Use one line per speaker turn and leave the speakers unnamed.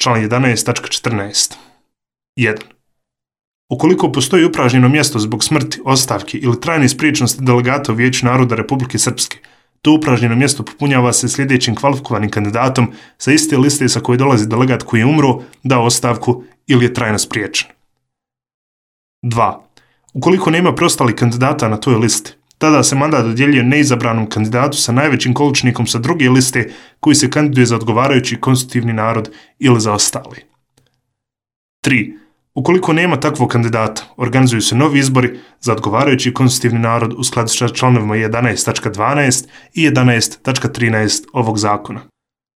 član 11.14. 1. Ukoliko postoji upražnjeno mjesto zbog smrti, ostavke ili trajne spriječenosti delegata u Vijeću naroda Republike Srpske, to upražnjeno mjesto popunjava se sljedećim kvalifikovanim kandidatom sa iste liste sa koje dolazi delegat koji je umro, dao ostavku ili je trajno spriječen. 2. Ukoliko nema preostalih kandidata na toj listi, tada se mandat dodjeljuje neizabranom kandidatu sa najvećim količnikom sa druge liste koji se kandiduje za odgovarajući konstitutivni narod ili za ostali. 3. Ukoliko nema takvog kandidata, organizuju se novi izbori za odgovarajući konstitutivni narod u skladu sa članovima 11.12 i 11.13 ovog zakona.